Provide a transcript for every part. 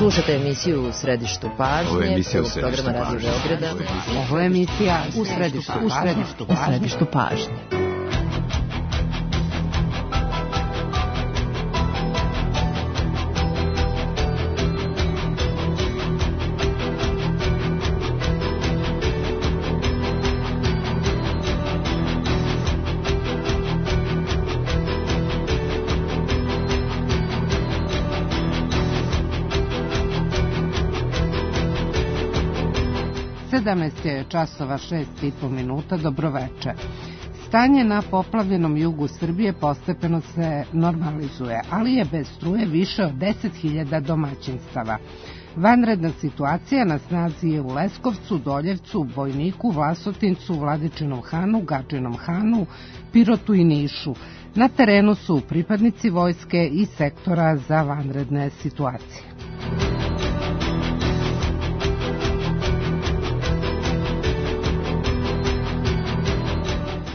Slušate emisiju U središtu pažnje, prvog programa Radio Beograda. Ovo je emisija U središtu pažnje. Je časova 6:30, dobroveče. Stanje na poplavljenom jugu Srbije postepeno se normalizuje, ali je bez struje više od 10.000 domaćinstava. Vanredna situacija na snazi je u Leskovcu, Doljevcu, Bojniku, Vlasotincu, Vladičinom Hanu, Gadžinom Hanu, Pirotu i Nišu. Na terenu su pripadnici vojske i sektora za vanredne situacije.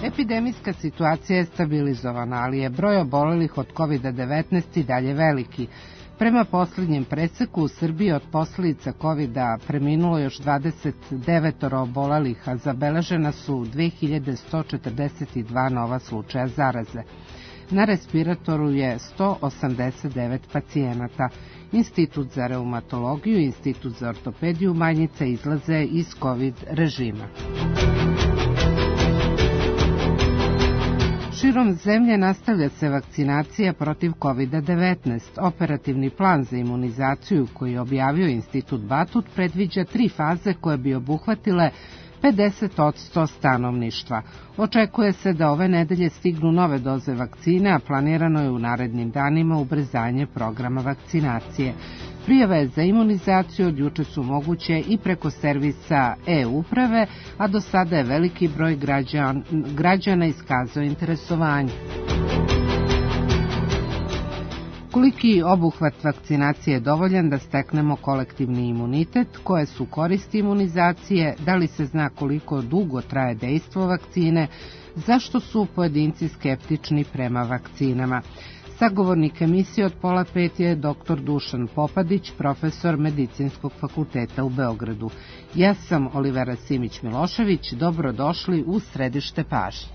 Epidemijska situacija je stabilizovana, ali je broj obolelih od COVID-19 i dalje veliki. Prema posljednjem preseku u Srbiji od posljedica COVID-a preminulo još 29 obolelih, a zabeležena su 2142 nova slučaja zaraze. Na respiratoru je 189 pacijenata. Institut za reumatologiju i Institut za ortopediju Manjice izlaze iz COVID režima. Širom zemlje nastavlja se vakcinacija protiv COVID-19. Operativni plan za imunizaciju koji je objavio Institut Batut predviđa 3 faze koje bi obuhvatile 50% stanovništva. Očekuje se da ove nedelje stignu nove doze vakcine, a planirano je u narednim danima ubrzanje programa vakcinacije. Prijave za imunizaciju od juče su moguće i preko servisa e-uprave, a do sada je veliki broj građana iskazao interesovanje. Koliki obuhvat vakcinacije je dovoljan da steknemo kolektivni imunitet, koje su koristi imunizacije, da li se zna koliko dugo traje dejstvo vakcine, zašto su pojedinci skeptični prema vakcinama. Sagovornik emisije od 4:30 je dr. Dušan Popadić, profesor Medicinskog fakulteta u Beogradu. Ja sam Olivera Simić-Milošević, dobrodošli u središte pažnje.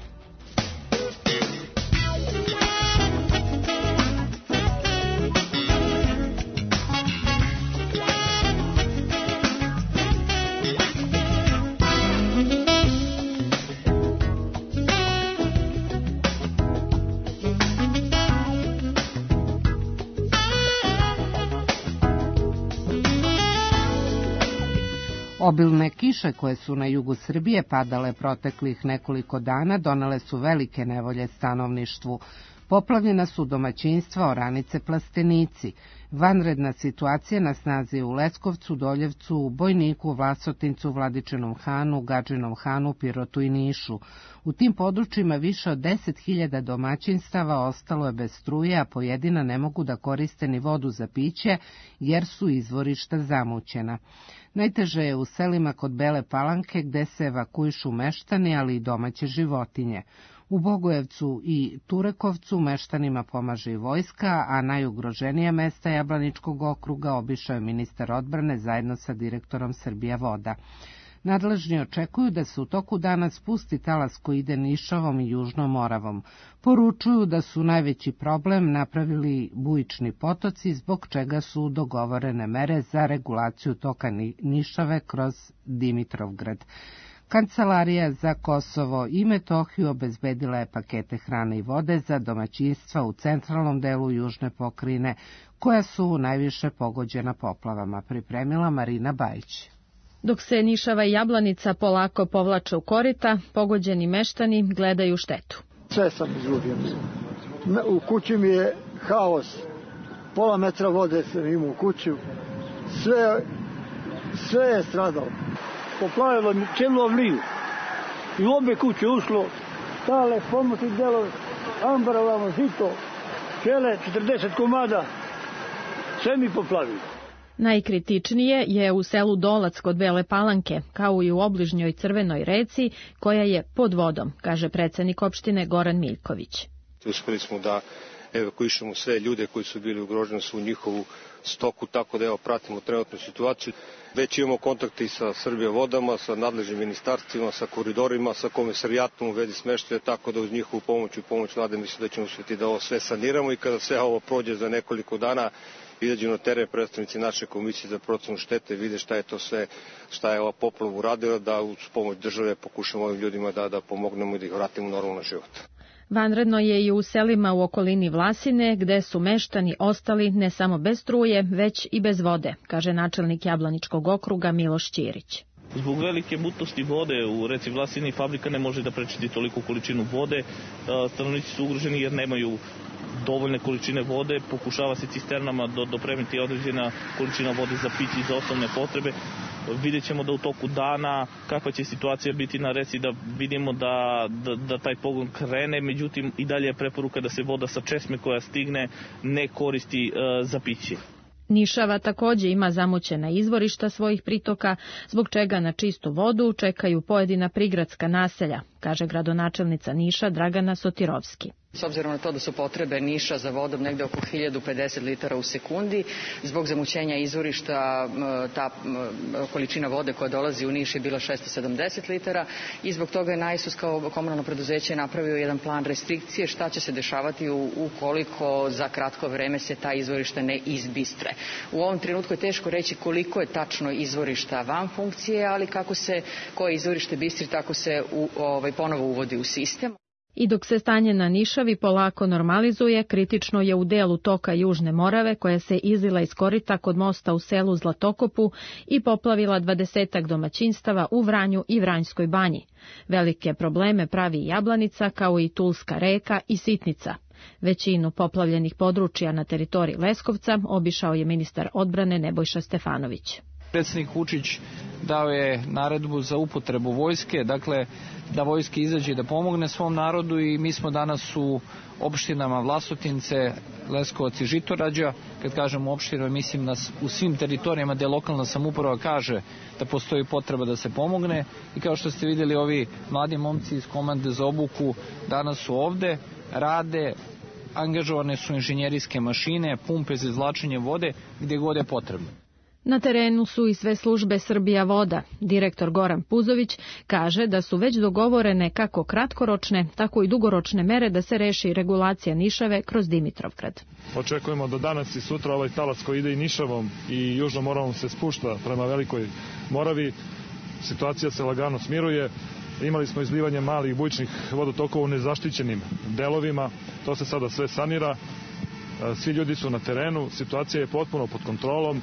Obilne kiše koje su na jugu Srbije padale proteklih nekoliko dana donele su velike nevolje stanovništvu. Poplavljena su domaćinstva, oranice, plastenici. Vanredna situacija na snazi u Leskovcu, Doljevcu, Bojniku, Vlasotincu, Vladičinom Hanu, Gadžinom Hanu, Pirotu i Nišu. U tim područjima više od 10.000 domaćinstava ostalo je bez struje, a pojedina ne mogu da koriste ni vodu za piće jer su izvorišta zamućena. Najteže je u selima kod Bele Palanke gde se evakuišu meštani, ali i domaće životinje. U Bogojevcu i Turekovcu meštanima pomaže i vojska, a najugroženija mesta Jablaničkog okruga obišao je ministar odbrane zajedno sa direktorom Srbija voda. Nadležni očekuju da se u toku dana spusti talas koji ide Nišovom i Južnom Moravom. Poručuju da su najveći problem napravili bujični potoci, zbog čega su dogovorene mere za regulaciju toka Nišave kroz Dimitrovgrad. Kancelarija za Kosovo i Metohiju obezbedila je pakete hrane i vode za domaćinstva u centralnom delu južne pokrajine, koja su najviše pogođena poplavama, pripremila Marina Bajić. Dok se Nišava i Jablanica polako povlače u korita, pogođeni meštani gledaju štetu. Sve sam izgubio. U kući mi je haos. Pola metra vode sam imao u kuću. Sve je stradalo. Poplavilo mi cijelu avliju. I u obe kuće ušlo stale pomoći delove, ambarovamo žito, čele, 40 komada. Sve mi poplavilo. Najkritičnije je u selu Dolac kod Bele Palanke, kao i u obližnjoj Crvenoj reci, koja je pod vodom, kaže predsednik opštine Goran Miljković. Uspeli smo da evakuišemo sve ljude koji su bili ugroženi, su u njihovu stoku, tako da pratimo trenutnu situaciju. Već imamo kontakte i sa Srbijavodama, sa nadležnim ministarstvima, sa koridorima, sa komisarijatom u vezi smeštaja, tako da uz njihovu pomoć i pomoć vlade mislim da ćemo uspjeti da ovo sve saniramo i kada sve ovo prođe za nekoliko dana, izađu na teren predstavnici naše komisije za procenu štete, vide šta je to sve, šta je ova poplava uradila, da uz pomoć države pokušamo ovim ljudima da pomognemo i da ih vratimo u normalan život. Vanredno je i u selima u okolini Vlasine, gde su meštani ostali ne samo bez struje, već i bez vode, kaže načelnik Jablaničkog okruga Miloš Ćirić. Zbog velike mutnosti vode u reci Vlasini fabrika ne može da prečiti toliku količinu vode. Stanovnici su ugroženi jer nemaju dovoljne količine vode, pokušava se cisternama dopremiti određena količina vode za piće i za osnovne potrebe. Vidjet ćemo da u toku dana kakva će situacija biti na reci, da vidimo da taj pogon krene, međutim i dalje je preporuka da se voda sa česme koja stigne ne koristi za piće. Nišava takođe ima zamućena izvorišta svojih pritoka, zbog čega na čistu vodu čekaju pojedina prigradska naselja, kaže gradonačelnica Niša Dragana Sotirovski. S obzirom na to da su potrebe Niša za vodom negde oko 1050 litara u sekundi, zbog zamućenja izvorišta ta količina vode koja dolazi u Niš je bila 670 litara i zbog toga je NAISUS kao komunalno preduzeće napravio jedan plan restrikcije šta će se dešavati ukoliko za kratko vreme se ta izvorišta ne izbistre. U ovom trenutku je teško reći koliko je tačno izvorišta van funkcije, ali kako se koje izvorište bistri, tako se ponovo uvodi u sistem. I dok se stanje na Nišavi polako normalizuje, kritično je u delu toka Južne Morave koja se izlila iz korita kod mosta u selu Zlatokopu i poplavila 20 domaćinstava u Vranju i Vranjskoj banji. Velike probleme pravi Jablanica kao i Tulska reka i Sitnica. Većinu poplavljenih područja na teritoriji Leskovca obišao je ministar odbrane Nebojša Stefanović. Predsjednik Vučić dao je naredbu za upotrebu vojske, dakle da vojska izađe da pomogne svom narodu i mi smo danas u opštinama Vlasotince, Leskovac i Žitorađa. Kad kažemo opštinama, mislim u svim teritorijama gde lokalna samouprava kaže da postoji potreba da se pomogne i kao što ste vidjeli ovi mladi momci iz komande za obuku danas su ovde, rade, angažovane su inženjerijske mašine, pumpe za izvlačenje vode gdje god je potrebno. Na terenu su i sve službe Srbija voda. Direktor Goran Puzović kaže da su već dogovorene kako kratkoročne, tako i dugoročne mere da se reši regulacija Nišave kroz Dimitrovgrad. Očekujemo da danas i sutra ovaj talas koji ide i Nišavom i Južnom Moravom se spušta prema Velikoj Moravi. Situacija se lagano smiruje. Imali smo izlivanje malih bujičnih vodotokova u nezaštićenim delovima. To se sada sve sanira. Svi ljudi su na terenu. Situacija je potpuno pod kontrolom.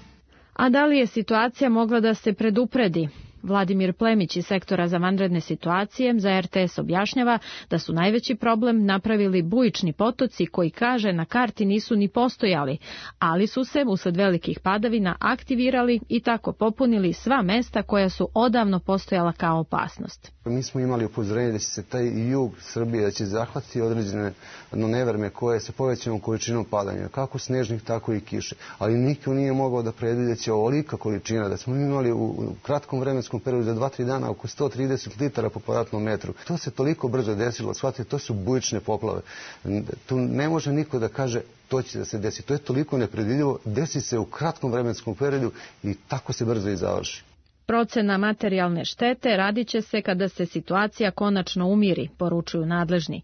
A da li je situacija mogla da se predupredi? Vladimir Plemić iz sektora za vanredne situacije za RTS objašnjava da su najveći problem napravili bujični potoci koji, kaže, na karti nisu ni postojali, ali su se usled velikih padavina aktivirali i tako popunili sva mesta koja su odavno postojala kao opasnost. Mi smo imali upozorenje da će se taj jug Srbije da će zahvatiti određene nevreme koje se povećanom količinom padanja, kako snežnih, tako i kiše. Ali niko nije mogao da predvidi da će ovolika količina, da smo imali u kratkom vremenskom periodu za 2-3 dana oko 130 litara po kvadratnom metru. To se toliko brzo desilo, shvatite, to su bujične poplave. Tu ne može niko da kaže to će da se desi. To je toliko nepredvidljivo, desi se u kratkom vremenskom periodu i tako se brzo i završi. Procena materijalne štete radit će se kada se situacija konačno umiri, poručuju nadležni.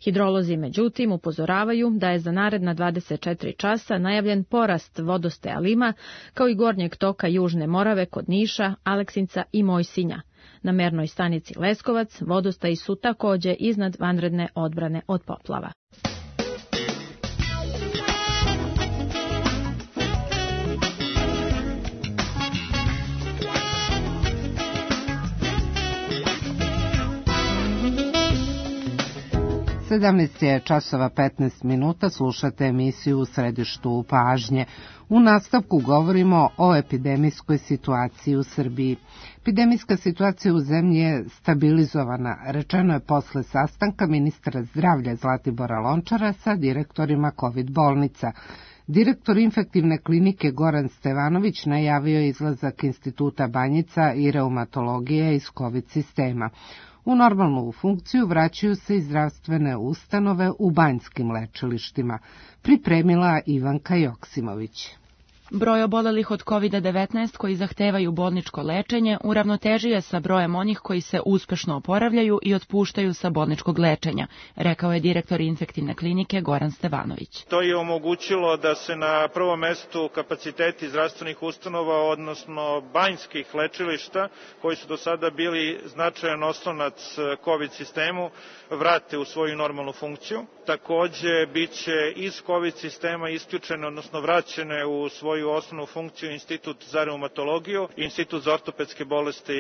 Hidrolozi, međutim, upozoravaju da je za naredna 24 časa najavljen porast vodostaja Lima, kao i gornjeg toka Južne Morave kod Niša, Aleksinca i Mojsinja. Na mernoj stanici Leskovac vodostaji su takođe iznad vanredne odbrane od poplava. Sedamnaest je časova 15 minuta, slušate emisiju U središtu pažnje. U nastavku govorimo o epidemijskoj situaciji u Srbiji. Epidemijska situacija u zemlji je stabilizovana, rečeno je posle sastanka ministra zdravlja Zlatibora Lončara sa direktorima COVID bolnica. Direktor infektivne klinike Goran Stevanović najavio izlazak Instituta Banjica i reumatologije iz COVID sistema. U normalnu funkciju vraćaju se i zdravstvene ustanove u banjskim lečilištima, pripremila Ivanka Joksimović. Broj obolelih od COVID-19 koji zahtevaju bolničko lečenje uravnotežio je sa brojem onih koji se uspešno oporavljaju i otpuštaju sa bolničkog lečenja, rekao je direktor infektivne klinike Goran Stevanović. To je omogućilo da se na prvom mestu kapaciteti zdravstvenih ustanova, odnosno banjskih lečilišta, koji su do sada bili značajan oslonac COVID sistemu, vrate u svoju normalnu funkciju. Takođe, bit će iz COVID sistema isključene, odnosno vraćene u svoju osnovnu funkciju Institut za reumatologiju, Institut za ortopedske bolesti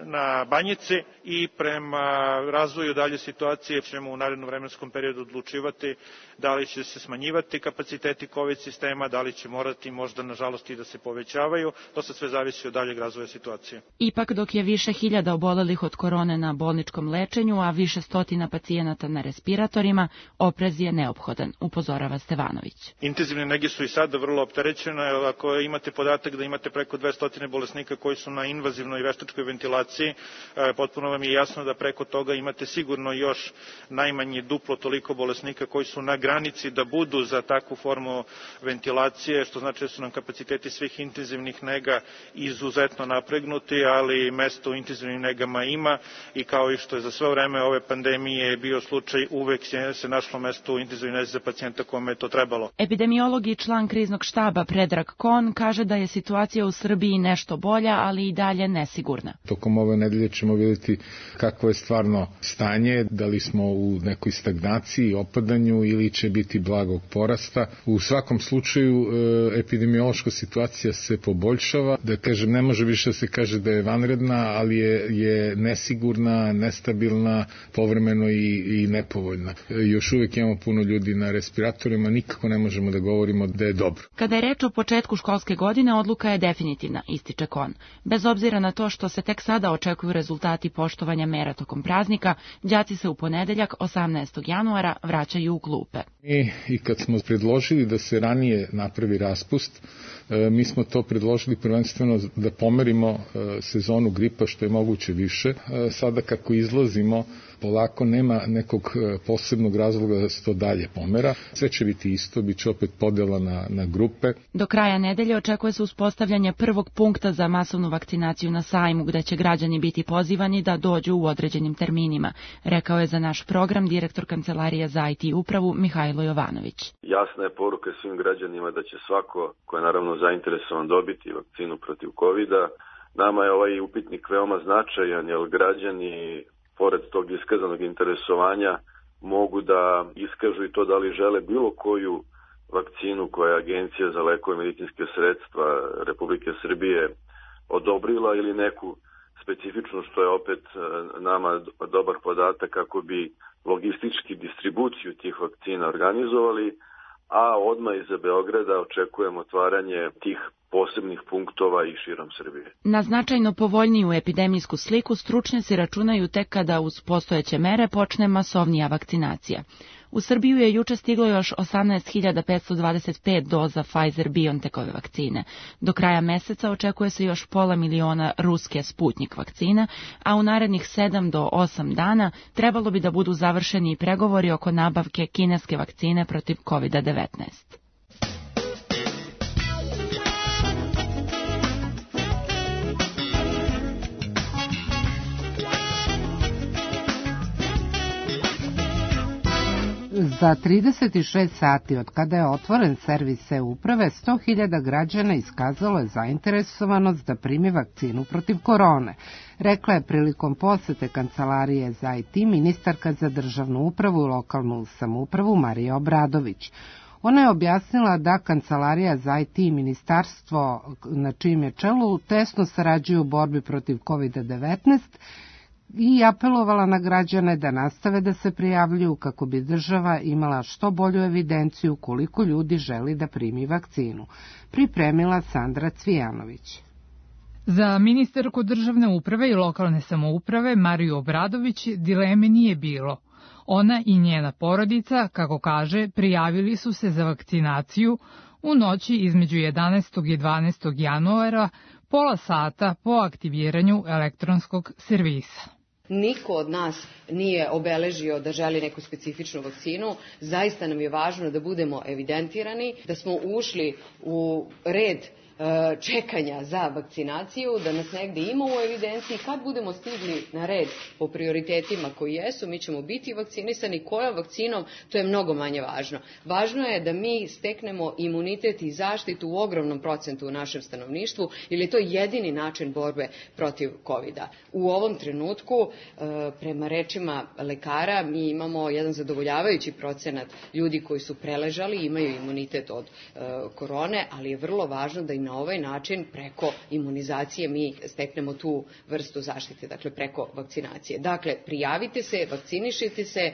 na Banjici i prema razvoju dalje situacije ćemo u narednom vremenskom periodu odlučivati da li će se smanjivati kapaciteti COVID sistema, da li će morati možda nažalost i da se povećavaju. To se sve zavisi od daljeg razvoja situacije. Ipak dok je više hiljada obolelih od korone na bolničkom lečenju, a više stotina pacijenata na respiratorima, oprez je neophodan, upozorava Stevanović. Intenzivne nege su i sada vrlo opterećene. Ako imate podatak da imate preko 200 bolesnika koji su na invazivnoj veštačkoj ventilaciji, potpuno vam je jasno da preko toga imate sigurno još najmanje duplo toliko bolesnika koji su na granici da budu za takvu formu ventilacije, što znači da su nam kapaciteti svih intenzivnih nega izuzetno napregnuti, ali mesto u intenzivnim negama ima i kao i što je za sve vreme ove pandemije bio slučaj, uvek se našlo mesto u intenzivnoj nezi za pacijenta kome je to trebalo. Epidemiolog i član kriznog štaba Predrag Kon kaže da je situacija u Srbiji nešto bolja, ali i dalje nesigurna. Tokom ove nedelje ćemo vidjeti kakvo je stvarno stanje, da li smo u nekoj stagnaciji, opadanju ili će biti blagog porasta. U svakom slučaju epidemiološka situacija se poboljšava, da kažem ne može više da se kaže da je vanredna, ali je nesigurna, nestabilna, povremeno i nepovoljna. Još uvijek imamo puno ljudi na respiratorima, nikako ne možemo da govorimo da je dobro. Kada je reč o početku školske godine, odluka je definitivna, ističe Kon. Bez obzira na to što se tek sada očekuju rezultati poštovanja mera tokom praznika, đaci se u ponedeljak 18. januara vraćaju u klupe. I kad smo predložili da se ranije napravi raspust, mi smo to predložili prvenstveno da pomerimo sezonu gripa što je moguće više. Sada kako izlazimo, polako nema nekog posebnog razloga da se to dalje pomera. Sve će biti isto, bit će opet podela na grupe. Do kraja nedelje očekuje se uspostavljanje prvog punkta za masovnu vakcinaciju na sajmu, gde će građani biti pozivani da dođu u određenim terminima, rekao je za naš program direktor Kancelarije za IT upravu Mihajlo Jovanović. Jasna je poruka svim građanima da će svako ko je naravno zainteresovan dobiti vakcinu protiv COVID-a. Nama je ovaj upitnik veoma značajan, jer građani pored tog iskazanog interesovanja mogu da iskažu i to da li žele bilo koju vakcinu koja je Agencija za lekove i medicinske sredstva Republike Srbije odobrila ili neku specifičnu, što je opet nama dobar podatak kako bi logistički distribuciju tih vakcina organizovali, a odmah iza Beograda očekujemo otvaranje tih posebnih punktova i širom Srbije. Na značajno povoljniju epidemijsku sliku stručnjaci računaju tek kada uz postojeće mere počne masovnija vakcinacija. U Srbiju je juče stiglo još 18.525 doza Pfizer-BioNTechove vakcine. Do kraja meseca očekuje se još 500.000 ruske Sputnik vakcina, a u narednih 7 do 8 dana trebalo bi da budu završeni pregovori oko nabavke kineske vakcine protiv COVID-19. Za 36 sati od kada je otvoren servis e-uprave, 100.000 građana iskazalo je zainteresovanost da primi vakcinu protiv korone. Rekla je prilikom posete Kancelarije za IT ministarka za državnu upravu i lokalnu samoupravu Marija Obradović. Ona je objasnila da Kancelarija za IT i ministarstvo na čijem je čelu tesno sarađuju u borbi protiv COVID-19 i apelovala na građane da nastave da se prijavljuju kako bi država imala što bolju evidenciju koliko ljudi želi da primi vakcinu. Pripremila Sandra Cvijanović. Za ministarku državne uprave i lokalne samouprave Mariju Obradović dileme nije bilo. Ona i njena porodica, kako kaže, prijavili su se za vakcinaciju u noći između 11. i 12. januara, pola sata po aktiviranju elektronskog servisa. Niko od nas nije obeležio da želi neku specifičnu vakcinu. Zaista nam je važno da budemo evidentirani, da smo ušli u red čekanja za vakcinaciju, da nas negde ima u evidenciji. Kad budemo stigli na red po prioritetima koji jesu, mi ćemo biti vakcinisani. Kojom vakcinom, to je mnogo manje važno. Važno je da mi steknemo imunitet i zaštitu u ogromnom procentu u našem stanovništvu, jer je to jedini način borbe protiv COVID-a. U ovom trenutku, prema rečima lekara, mi imamo jedan zadovoljavajući procenat ljudi koji su preležali, imaju imunitet od korone, ali je vrlo važno da i na ovaj način preko imunizacije mi steknemo tu vrstu zaštite, dakle preko vakcinacije. Dakle, prijavite se, vakcinišite se,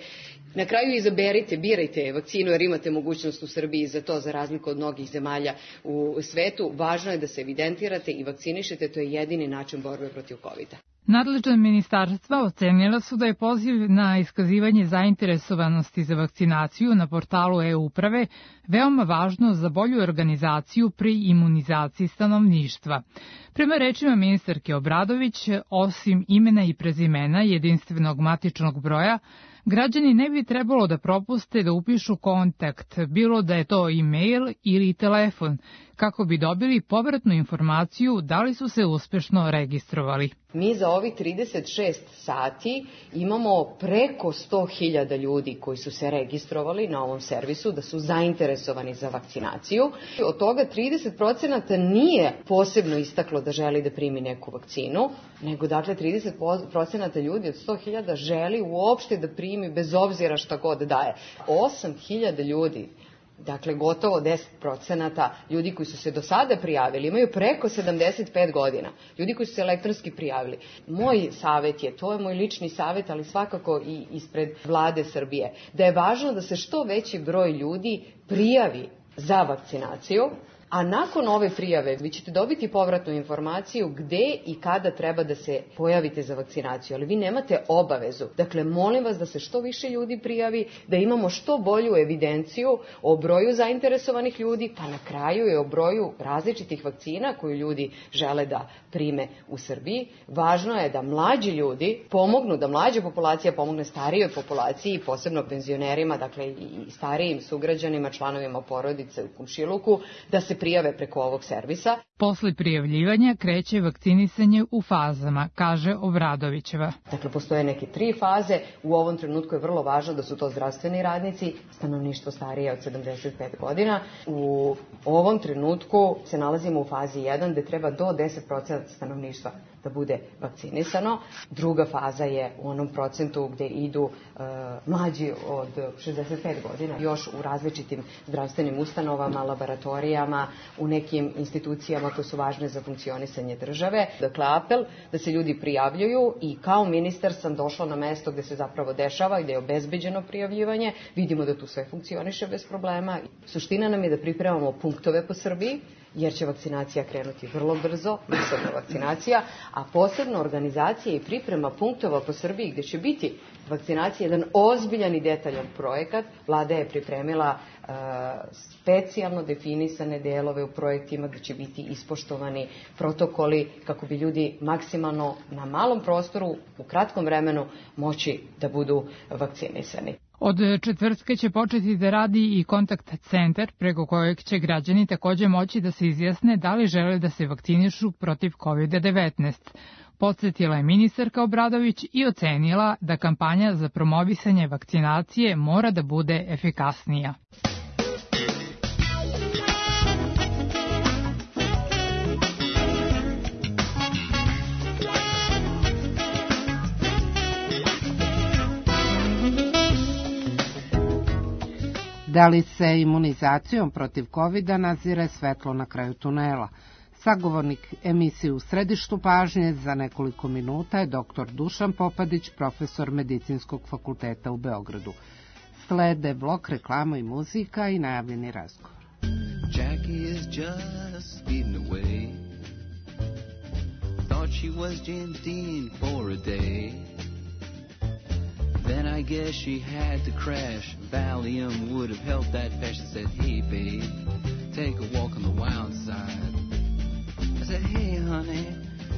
na kraju izaberite, birajte vakcinu jer imate mogućnost u Srbiji za to, za razliku od mnogih zemalja u svetu. Važno je da se evidentirate i vakcinišete, to je jedini način borbe protiv COVID-a. Nadležna ministarstva ocenila su da je poziv na iskazivanje zainteresovanosti za vakcinaciju na portalu e-uprave veoma važno za bolju organizaciju pri imunizaciji stanovništva. Prema rečima ministarke Obradović, osim imena i prezimena jedinstvenog matičnog broja, građani ne bi trebalo da propuste da upišu kontakt, bilo da je to e-mail ili telefon, kako bi dobili povratnu informaciju da li su se uspešno registrovali. Mi za ovih 36 sati imamo preko 100.000 ljudi koji su se registrovali na ovom servisu, da su zainteresovani za vakcinaciju. Od toga 30% nije posebno istaklo da želi da primi neku vakcinu, nego dakle 30% ljudi od 100.000 želi uopšte da primi bez obzira šta god daje. 8.000 ljudi, dakle gotovo 10% ljudi koji su se do sada prijavili, imaju preko 75 godina, ljudi koji su se elektronski prijavili. Moj savjet je, to je moj lični savjet, ali svakako i ispred Vlade Srbije, da je važno da se što veći broj ljudi prijavi za vakcinaciju, a nakon ove prijave vi ćete dobiti povratnu informaciju gde i kada treba da se pojavite za vakcinaciju, ali vi nemate obavezu. Dakle, molim vas da se što više ljudi prijavi, da imamo što bolju evidenciju o broju zainteresovanih ljudi, pa na kraju i o broju različitih vakcina koju ljudi žele da prime u Srbiji. Važno je da mlađi ljudi pomognu, da mlađa populacija pomogne starijoj populaciji, posebno penzionerima, dakle i starijim sugrađanima, članovima porodice u komšiluku, da se prijave preko ovog servisa. Posle prijavljivanja kreće vakcinisanje u fazama, kaže Obradovićeva. Dakle, postoje neke 3 faze. U ovom trenutku je vrlo važno da su to zdravstveni radnici, stanovništvo starije od 75 godina. U ovom trenutku se nalazimo u fazi 1 gde treba do 10% stanovništva da bude vakcinisano. Druga faza je u onom procentu gde idu mlađi od 65 godina, još u različitim zdravstvenim ustanovama, laboratorijama, u nekim institucijama koje su važne za funkcionisanje države. Dakle, apel da se ljudi prijavljuju i kao ministar sam došla na mesto gde se zapravo dešava i gde je obezbeđeno prijavljivanje. Vidimo da tu sve funkcioniše bez problema. Suština nam je da pripremamo punktove po Srbiji, jer će vakcinacija krenuti vrlo brzo, masovna vakcinacija, a posebno organizacija i priprema punktova po Srbiji gde će biti vakcinacija jedan ozbiljan i detaljan projekat. Vlada je pripremila specijalno definisane delove u projektima gde će biti ispoštovani protokoli kako bi ljudi maksimalno na malom prostoru u kratkom vremenu moći da budu vakcinisani. Od četvrtka će početi da radi i kontakt centar preko kojeg će građani takođe moći da se izjasne da li žele da se vakcinišu protiv COVID-19. Podsjetila je ministarka Obradović i ocenila da kampanja za promovisanje vakcinacije mora da bude efikasnija. Da li se imunizacijom protiv COVID-a nazire svetlo na kraju tunela? Sagovornik emisije U središtu pažnje za nekoliko minuta je dr. Dušan Popadić, profesor Medicinskog fakulteta u Beogradu. Slede blok, reklama i muzika i najavljeni razgovor. Jackie is just speeding away. Thought she was James Dean for a day. Then I guess she had to crash. Valium would have helped that fast. She said, hey babe, take a walk on the wild side. I said, hey honey,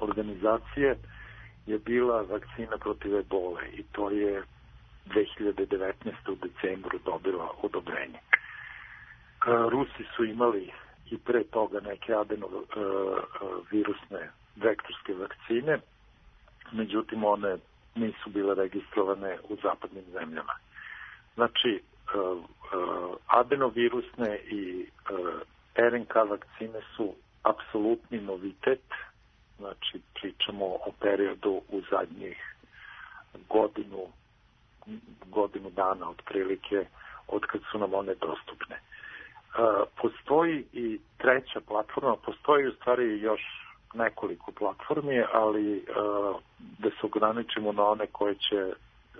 organizacije je bila vakcina protiv ebole i to je 2019. u decembru dobila odobrenje. Rusi su imali i pre toga neke adenovirusne vektorske vakcine, međutim one nisu bile registrovane u zapadnim zemljama. Znači, adenovirusne i RNK vakcine su apsolutni novitet, znači pričamo o periodu u zadnjih godinu dana otprilike od kad su nam one dostupne. Postoji i treća platforma, postoji u stvari još nekoliko platformi, ali da se ograničimo na one koje će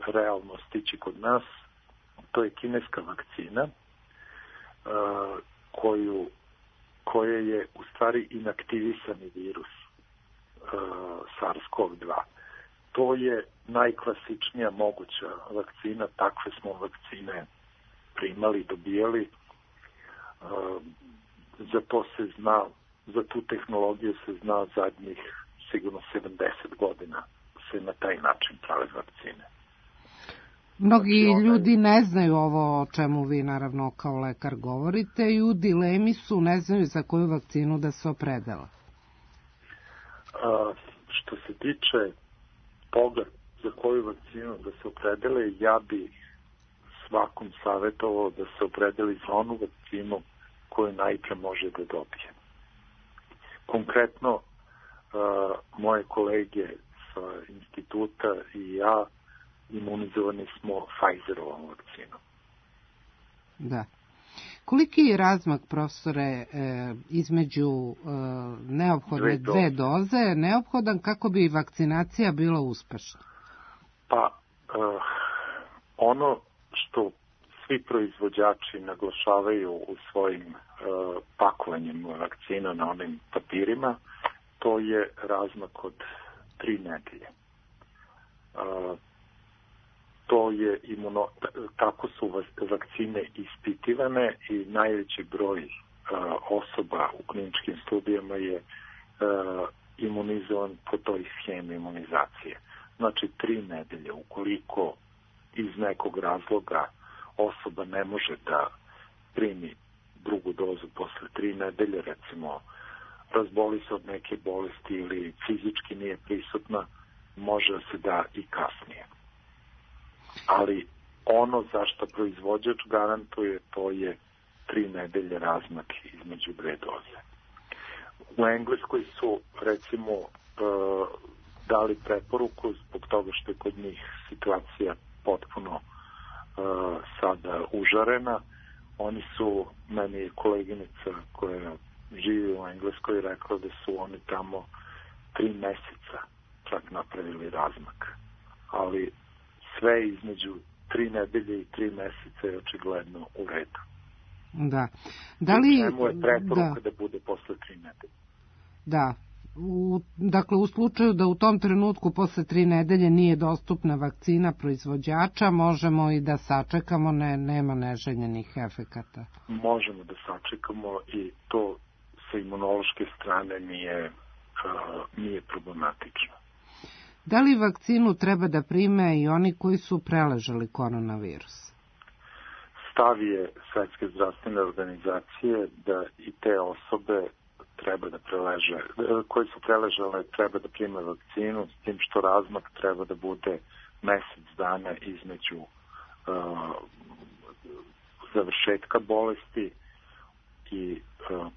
realno stići kod nas, to je kineska vakcina koja je u stvari inaktivisani virus SARS-CoV-2. To je najklasičnija moguća vakcina, takve smo vakcine primali, dobijali. Za to se zna, za tu tehnologiju se zna zadnjih sigurno 70 godina se na taj način prave vakcine. Mnogi ljudi ne znaju ovo o čemu vi naravno kao lekar govorite i u dilemi su, ne znaju za koju vakcinu da se opredele. Što se tiče toga za koju vakcinu da se opredele, ja bi svakom savjetovao da se opredeli za onu vakcinu koju najpre može da dobije. Konkretno, moje kolege sa instituta i ja imunizovani smo Pfizerovom vakcinom. Da. Koliki je razmak, profesore, između neophodne dve doze neophodan kako bi vakcinacija bila uspešna? Pa, ono što svi proizvođači naglašavaju u svojim pakovanjem vakcina na onim papirima, to je razmak od 3 nedelje. To je tako su vakcine ispitivane i najveći broj osoba u kliničkim studijama je imunizovan po toj schemi imunizacije. Znači 3 nedelje. Ukoliko iz nekog razloga osoba ne može da primi drugu dozu posle 3 nedelje, recimo razboli se od neke bolesti ili fizički nije prisutna, može se da i kasnije. Ali ono zašto proizvođač garantuje, to je 3 nedelje razmak između 2 doze. U Engleskoj su, recimo, dali preporuku zbog toga što je kod njih situacija potpuno sada užarena. Oni su, meni je koleginica koja živi u Engleskoj rekla da su oni tamo 3 meseca čak napravili razmak. Ali sve između 3 nedelje i 3 meseca je očigledno u redu. Da. Da li... Čemu je preporuka da bude posle 3 nedelje? Da. Dakle, u slučaju da u tom trenutku posle 3 nedelje nije dostupna vakcina proizvođača, možemo i da sačekamo, nema neželjenih efekata. Možemo da sačekamo i to sa imunološke strane nije problematično. Da li vakcinu treba da prime i oni koji su preležali koronavirus? Stav je Svetske zdravstvene organizacije da i te osobe treba da koje su preležale treba da prime vakcinu, s tim što razmak treba da bude mesec dana između završetka bolesti i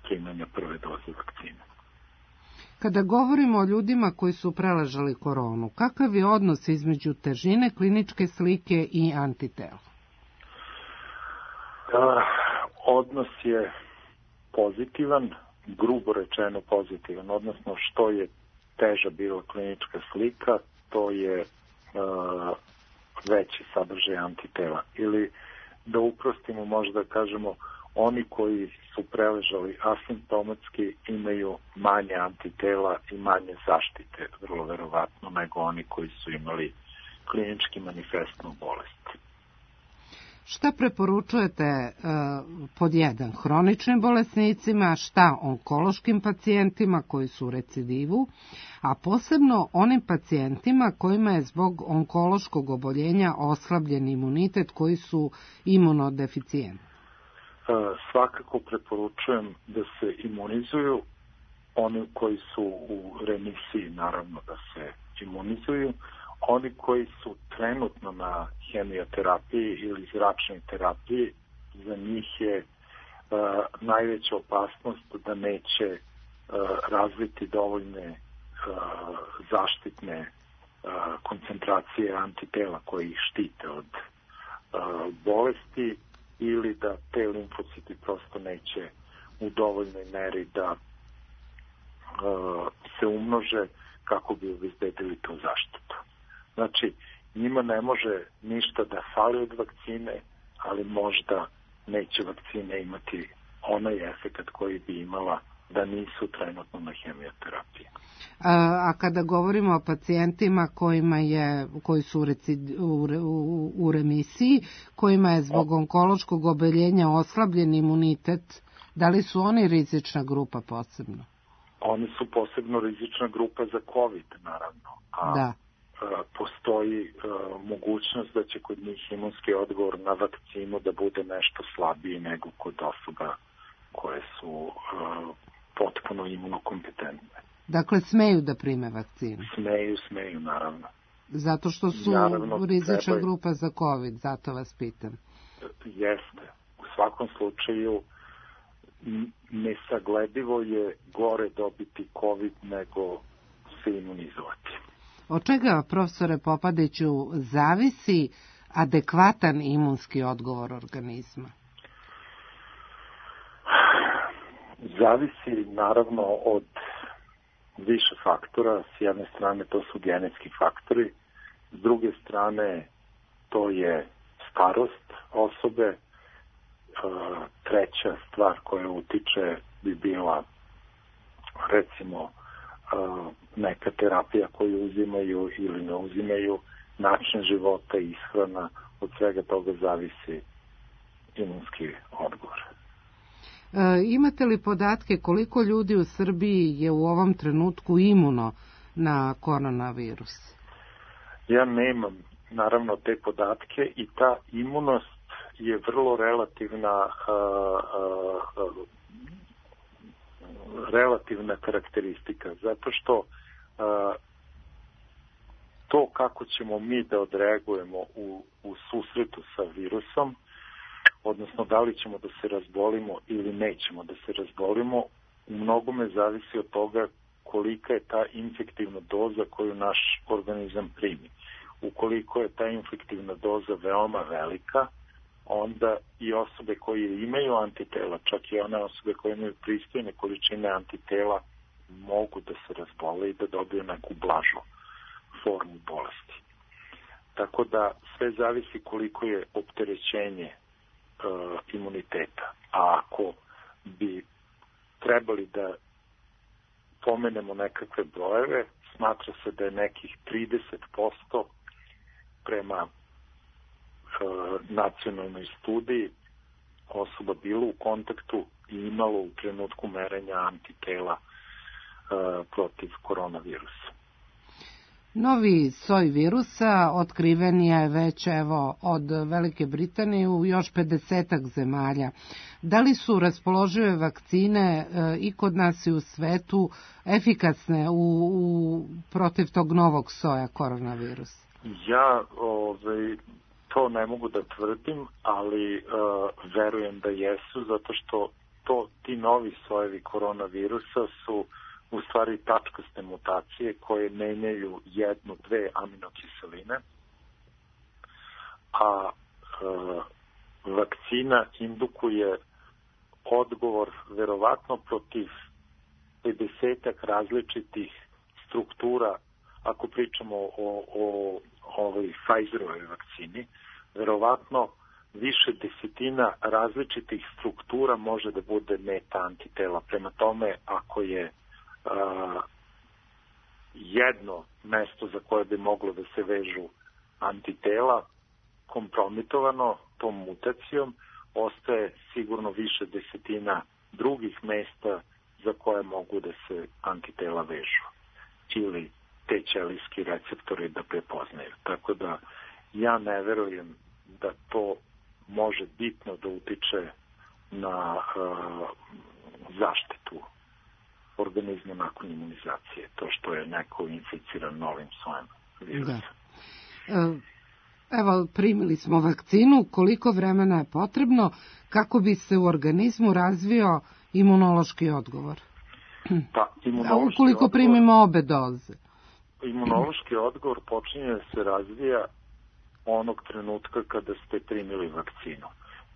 primanja prve doze vakcine. Kada govorimo o ljudima koji su preležali koronu, kakav je odnos između težine kliničke slike i antitela? Odnos je pozitivan, grubo rečeno pozitivan, odnosno što je teža bila klinička slika, to je veći sadržaj antitela. Ili da uprostimo, možda kažemo, oni koji su preležali asimptomatski imaju manje antitela i manje zaštite, vrlo verovatno, nego oni koji su imali klinički manifestnu bolest. Šta preporučujete pod jedan hroničnim bolesnicima, šta onkološkim pacijentima koji su u recidivu, a posebno onim pacijentima kojima je zbog onkološkog oboljenja oslabljen imunitet, koji su imunodeficijenti? Svakako preporučujem da se imunizuju. Oni koji su u remisiji, naravno da se imunizuju. Oni koji su trenutno na hemioterapiji ili zračnoj terapiji, za njih je najveća opasnost da neće razviti dovoljne zaštitne koncentracije antitela koji ih štite od bolesti, ili da te limfociti prosto neće u dovoljnoj meri da se umnože kako bi obezbedili tu zaštitu. Znači, njima ne može ništa da fali od vakcine, ali možda neće vakcine imati onaj efekat koji bi imala da nisu trenutno na hemioterapiji. A kada govorimo o pacijentima koji su u remisiji, kojima je zbog onkološkog oboljenja oslabljen imunitet, da li su oni rizična grupa posebno? Oni su posebno rizična grupa za COVID, naravno. Da. Postoji mogućnost da će kod njih imunski odgovor na vakcinu da bude nešto slabiji nego kod osoba koje su potpuno imunokompetentne. Dakle, smeju da prime vakcinu? Smeju, naravno. Zato što su rizična grupa za COVID, zato vas pitam. Jeste. U svakom slučaju nesagledivo je gore dobiti COVID nego se imunizovati. Od čega, profesore Popadiću, zavisi adekvatan imunski odgovor organizma? Zavisi naravno od više faktora. S jedne strane to su genetski faktori, s druge strane to je starost osobe, treća stvar koja utiče bi bila recimo neka terapija koju uzimaju ili ne uzimaju, način života, ishrana, od svega toga zavisi imunski odgovor. Imate li podatke koliko ljudi u Srbiji je u ovom trenutku imuno na koronavirus? Ja nemam naravno te podatke i ta imunost je vrlo relativna karakteristika, zato što to kako ćemo mi da odreagujemo u susretu sa virusom, odnosno da li ćemo da se razbolimo ili nećemo da se razbolimo, u mnogome zavisi od toga kolika je ta infektivna doza koju naš organizam primi. Ukoliko je ta infektivna doza veoma velika, onda i osobe koje imaju antitela, čak i one osobe koje imaju pristojne količine antitela, mogu da se razbole i da dobiju neku blažu formu bolesti. Tako da sve zavisi koliko je opterećenje imuniteta. A ako bi trebali da pomenemo nekakve brojeve, smatra se da je nekih 30% prema nacionalnoj studiji osoba bilo u kontaktu i imalo u trenutku merenja antitela protiv koronavirusa. Novi soj virusa otkriven je već od Velike Britanije u još 50-ak zemalja. Da li su raspoložive vakcine i kod nas i u svetu efikasne protiv tog novog soja koronavirusa? Ja to ne mogu da tvrdim, ali verujem da jesu, zato što ti novi sojevi koronavirusa su u stvari tačkaste mutacije koje menjaju 1-2 aminokiseline, a vakcina indukuje odgovor verovatno protiv 50-ak različitih struktura. Ako pričamo o ovoj Pfizerovoj vakcini, verovatno više desetina različitih struktura može da bude meta antitela. Prema tome, ako je jedno mesto za koje bi moglo da se vežu antitela kompromitovano, tom mutacijom ostaje sigurno više desetina drugih mesta za koje mogu da se antitela vežu ili te ćelijski receptori da prepoznaju. Tako da ja ne verujem da to može bitno da utiče na zaštitu organizma nakon imunizacije, to što je neko inficiran novim sojem virusa. Da. Evo, primili smo vakcinu, koliko vremena je potrebno kako bi se u organizmu razvio imunološki odgovor? Pa, ukoliko primimo obe doze? Imunološki odgovor počinje da se razvija onog trenutka kada ste primili vakcinu.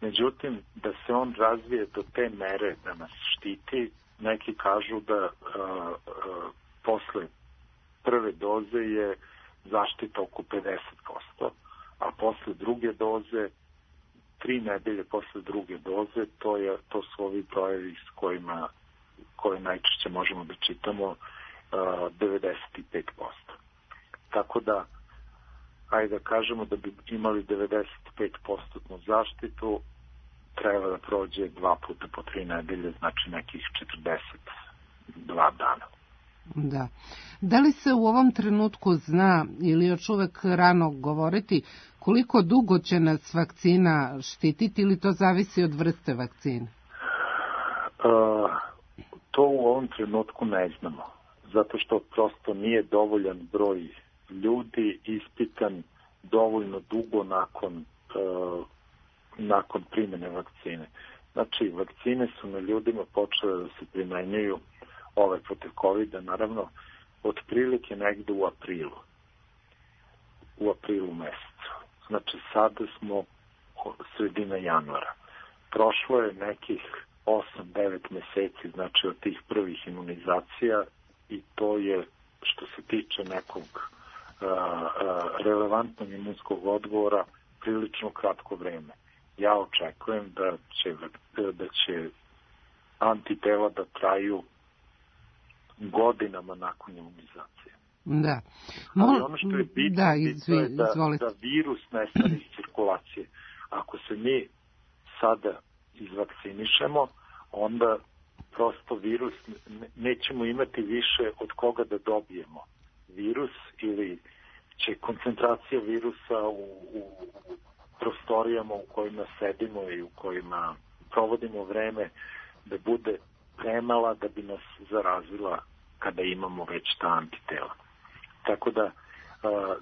Međutim, da se on razvije do te mere da nas štiti, neki kažu da posle prve doze je zaštita oko 50%, a posle druge doze, 3 nedelje posle druge doze, to su ovi brojevi s koje najčešće možemo da čitamo 95%. Tako da, ajde da kažemo da bi imali 95% zaštitu, treba da prođe 2 puta po 3 nedelje, znači nekih 42 dana. Da. Da li se u ovom trenutku zna ili još uvek rano govoriti koliko dugo će nas vakcina štititi ili to zavisi od vrste vakcine? To u ovom trenutku ne znamo, zato što prosto nije dovoljan broj ljudi ispitan dovoljno dugo nakon primjene vakcine. Znači, vakcine su na ljudima počele da se primenjuju ove protiv COVID-a, naravno, otprilike negde u aprilu mesecu. Znači, sada smo sredina januara. Prošlo je nekih 8-9 meseci, znači od tih prvih imunizacija, i to je, što se tiče nekog relevantnog imunskog odgovora, prilično kratko vreme. Ja očekujem da će antitela da traju godinama nakon imunizacije. Da. Ali ono što je bitno, je da virus nestane iz cirkulacije. Ako se mi sada izvakcinišemo, onda prosto virus nećemo imati više od koga da dobijemo virus, ili će koncentracija virusa u prostorijama u kojima sedimo i u kojima provodimo vreme da bude premala da bi nas zarazila kada imamo već ta antitela. Tako da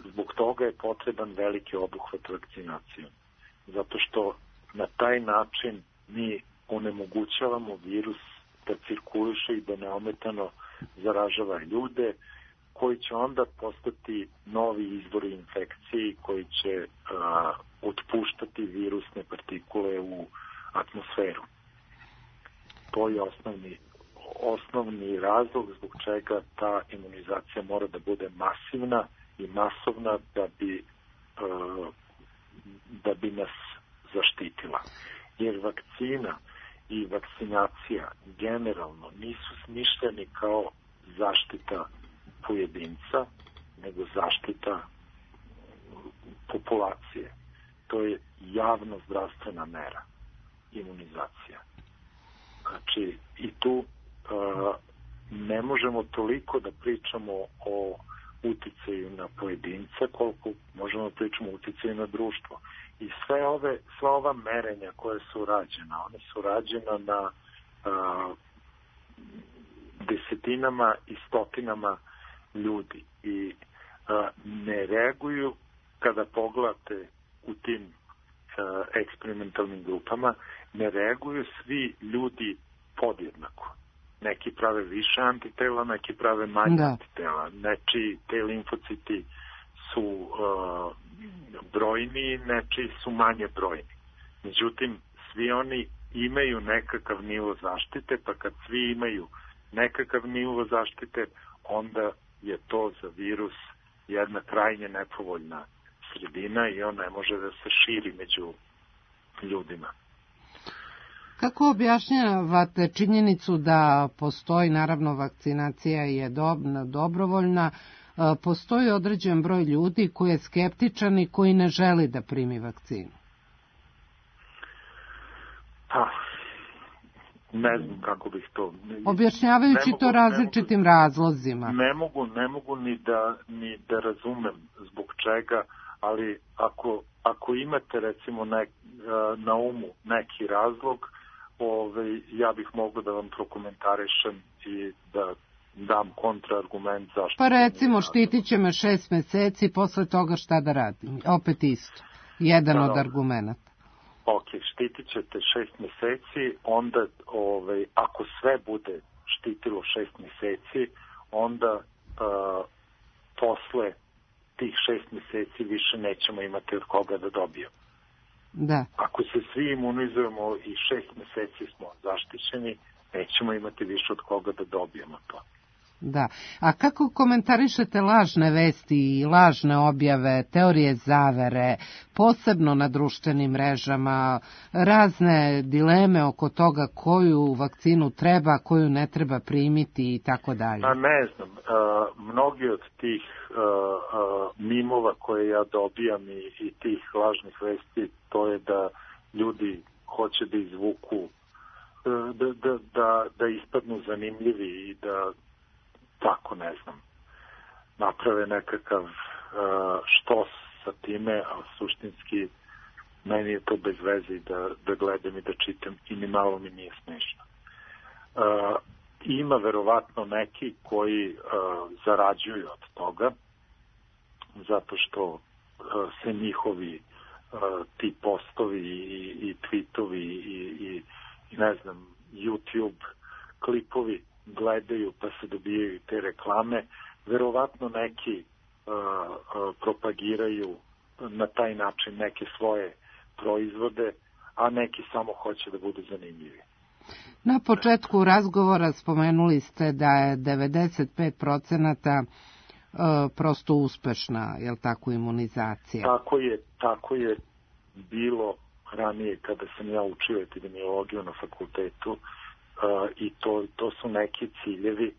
zbog toga je potreban veliki obuhvat vakcinacijom. Zato što na taj način mi onemogućavamo virus da cirkuliše i da neometano zaražava ljude, koji će onda postati novi izvori infekcije koji će otpuštati virusne partikule u atmosferu. To je osnovni razlog zbog čega ta imunizacija mora da bude masivna i masovna da bi nas zaštitila. Jer vakcina i vakcinacija generalno nisu smišljeni kao zaštita pojedinca, nego zaštita populacije. To je javno zdravstvena mera, imunizacija. Znači, i tu ne možemo toliko da pričamo o uticaju na pojedinca, koliko možemo da pričamo o uticaju na društvo. I sva ova merenja koje su rađena, one su rađena na desetinama i stotinama ljudi i ne reaguju, kada pogledate u tim eksperimentalnim grupama, ne reaguju svi ljudi podjednako. Neki prave više antitela, neki prave manje antitela. Nečiji te limfociti su brojni, nečiji su manje brojni. Međutim, svi oni imaju nekakav nivo zaštite, pa kad svi imaju nekakav nivo zaštite, onda je to za virus jedna krajnje nepovoljna sredina i on ne može da se širi među ljudima. Kako objašnjavate činjenicu da postoji, naravno vakcinacija je dobrovoljna, postoji određen broj ljudi koji je skeptičan i koji ne želi da primi vakcinu? Ne znam kako bih to... Objašnjavajući to različitim razlozima. Ne mogu ni da razumem zbog čega, ali ako imate recimo na umu neki razlog, ja bih mogao da vam prokomentarišem i da dam kontraargument zašto. Pa recimo, štitit će me 6 meseci, posle toga šta da radim? Opet isto. Jedan od argumenta. Ok, štitit ćete 6 meseci, onda ako sve bude štitilo 6 meseci, onda posle tih 6 meseci više nećemo imati od koga da dobijemo. Da. Ako se svi imunizujemo i 6 meseci smo zaštićeni, nećemo imati više od koga da dobijemo to. Da. A kako komentarišete lažne vesti i lažne objave, teorije zavere, posebno na društvenim mrežama, razne dileme oko toga koju vakcinu treba, koju ne treba primiti i tako dalje? A ne znam, mnogi od tih mimova koje ja dobijam i tih lažnih vesti, to je da ljudi hoće da izvuku, da ispadnu zanimljivi i da tako, ne znam, naprave nekakav štos sa time, a suštinski meni je to bez veze da gledam i da čitam i ni malo mi nije smešno. Ima verovatno neki koji zarađuju od toga, zato što se njihovi ti postovi i tweetovi i ne znam, YouTube klipovi gledaju pa se dobijaju te reklame. Verovatno neki propagiraju na taj način neke svoje proizvode, a neki samo hoće da budu zanimljivi. Na početku razgovora spomenuli ste da je 95% prosto uspešna, je li tako, imunizacija? Tako je bilo ranije kada sam ja učio epidemiologiju na fakultetu, i to su neki ciljevi,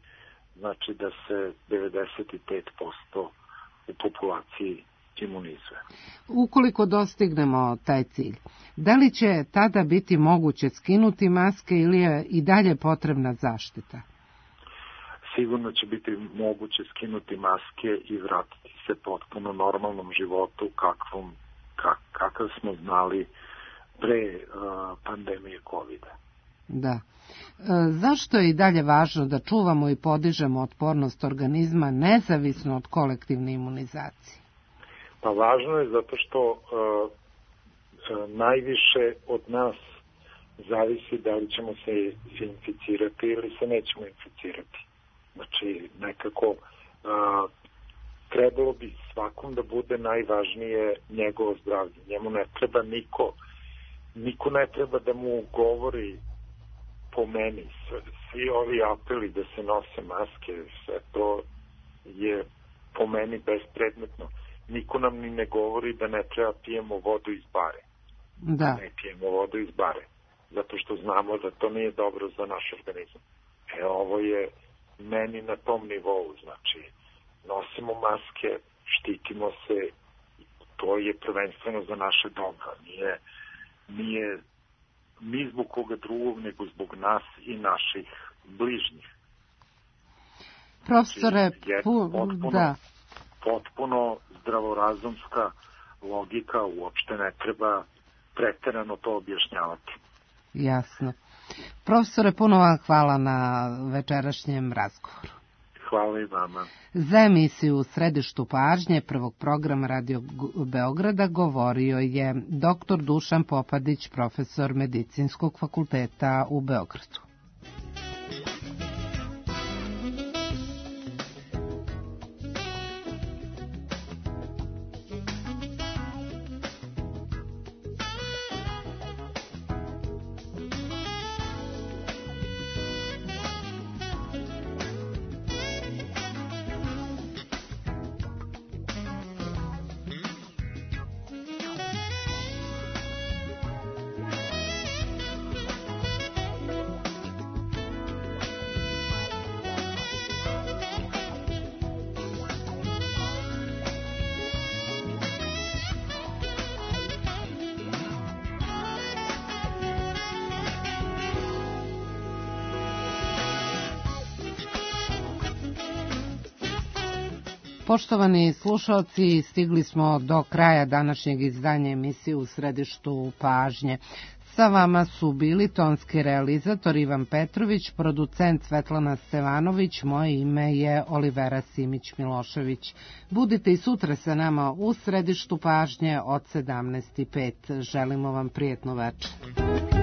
znači da se 95% u populaciji imunizuje. Ukoliko dostignemo taj cilj, da li će tada biti moguće skinuti maske ili je i dalje potrebna zaštita? Sigurno će biti moguće skinuti maske i vratiti se potpuno normalnom životu kakav smo znali pre pandemije COVID-a. Da. Zašto je i dalje važno da čuvamo i podižemo otpornost organizma nezavisno od kolektivne imunizacije? Pa važno je zato što najviše od nas zavisi da li ćemo se inficirati ili se nećemo inficirati. Znači, nekako trebalo bi svakom da bude najvažnije njegovo zdravlje. Njemu ne treba niko ne treba da mu govori po meni. Svi ovi apeli da se nose maske, sve to je po meni bespredmetno. Niko nam ni ne govori da ne treba pijemo vodu iz bare. Da. Ne pijemo vodu iz bare. Zato što znamo da to nije dobro za naš organizam. Ovo je meni na tom nivou. Znači, nosimo maske, štitimo se, to je prvenstveno za naše dobro. Nije ni zbog koga drugog, nego zbog nas i naših bližnjih. Profesore, potpuno zdravorazumska logika, uopšte ne treba preterano to objašnjavati. Jasno. Profesore, puno vam hvala na večerašnjem razgovoru. Hvala i vama. Za emisiju U središtu pažnje prvog programa Radio Beograda govorio je dr. Dušan Popadić, profesor Medicinskog fakulteta u Beogradu. Poštovani slušalci, stigli smo do kraja današnjeg izdanja emisije U središtu pažnje. Sa vama su bili tonski realizator Ivan Petrović, producent Svetlana Stevanović, moje ime je Olivera Simić-Milošević. Budite i sutra sa nama u središtu pažnje od 17:05. Želimo vam prijetnu večer.